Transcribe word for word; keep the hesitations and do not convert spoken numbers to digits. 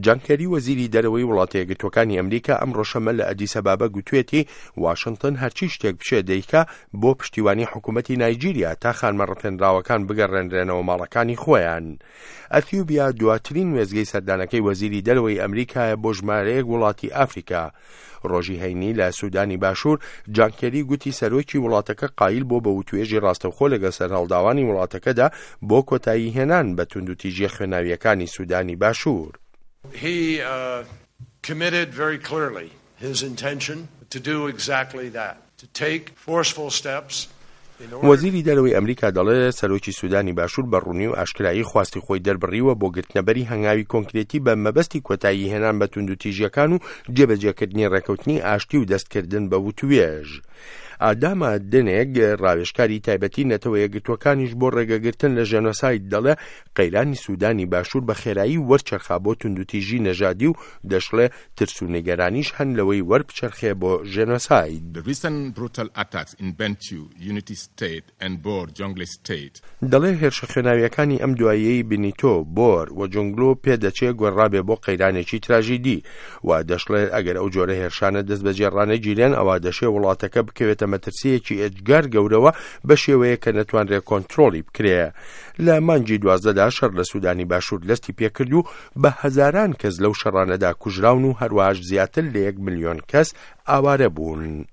جان کێری، وەزیری دەرەوەی وڵاتە یەکگرتووەکانی ئەمریکا، ئەمڕۆ شەممە لە ئەدیسەبابە گوتوێتی واشنتن هەرچی شتێک بشێ دەیکا بۆ پشتیوانی حکوومەتی نایجیریا تا خانمە ڕفێنراوەکان بگەڕێنرێنەوە ماڵەکانی خۆیان. ئەثیوبیا دواترین وێستگەی سەردانەکەی وەزیری دەرەوەی ئەمریکایە بۆ ژمارەیەک وڵاتی ئافریکا. ڕۆژی هەینی لە سودانی باشوور، جان کێری گوتی سەرۆکی وڵاتەکە قایل بۆ بە وتوێژی ڕاستەوخۆ لەگەڵ سەرهەڵداوانی وڵاتەکەدا بۆ کۆتایی هێنان بە توندوتیژیە خوێناویەکانی سودانی باشوور. He uh, committed very clearly his intention to do exactly that, to take forceful steps. وەزیری دەرەوەی ئەمریکا دەڵێ سەرۆکی سودانی باشوور بە ڕوونی و ئاشکرایی خواستی خۆی دەربڕیوە بۆ گرتنەبەری هەنگاوی کۆنکرێتی بە مەبەستی کۆتایی هێنان بە توندوتیژیەکان و جێبەجێکردنی ڕێکەوتنی ئاشتی و دەستکردن بە وتوێژ. ئاداما دنێگ، ڕاوێژکاری تایبەتی نەتەوە یەکگرتووەکانیش بۆ ڕێگەگرتن لە ژێنۆساید، دەڵێ قەیرانی سودانی باشوور بە خێرایی وەرچەرخا بۆ توندوتیژی نەژادی و دەشڵێ ترس و نیگەرانیش هەن لەوەی وەربچەرخێ بۆ ژێنۆساید. The recent brutal attacks in Bentiu, Unity State and Bor, Jonglei State. دەڵێ هێرشە خوێناویەکانی ئەم دواییەی بنیتۆ، بۆر و جۆنگلۆ پێدەچێ گۆڕابێ بۆ قەیرانێکی تراژیدی و دەشڵێت ئەگەر ئەو جۆرە هێرشانە دەست بەجێ ڕانەگیرێن، ئەوە دەشێ وڵاتەکە بکەوێتە مەترسیەکی ئێجگار گەورەوە بە شێوەیە کە نەتوانرێ کۆنترۆڵی بکرێ. لە مانگی دوازدەدا شەڕ لە سوودانی باشوور دەستی پێکرد و بە هەزاران کەس لەو شەڕانەدا کوژراون و هەروەهاش زیاتر لە یەک ملیۆن کەس ئاوارە بوون.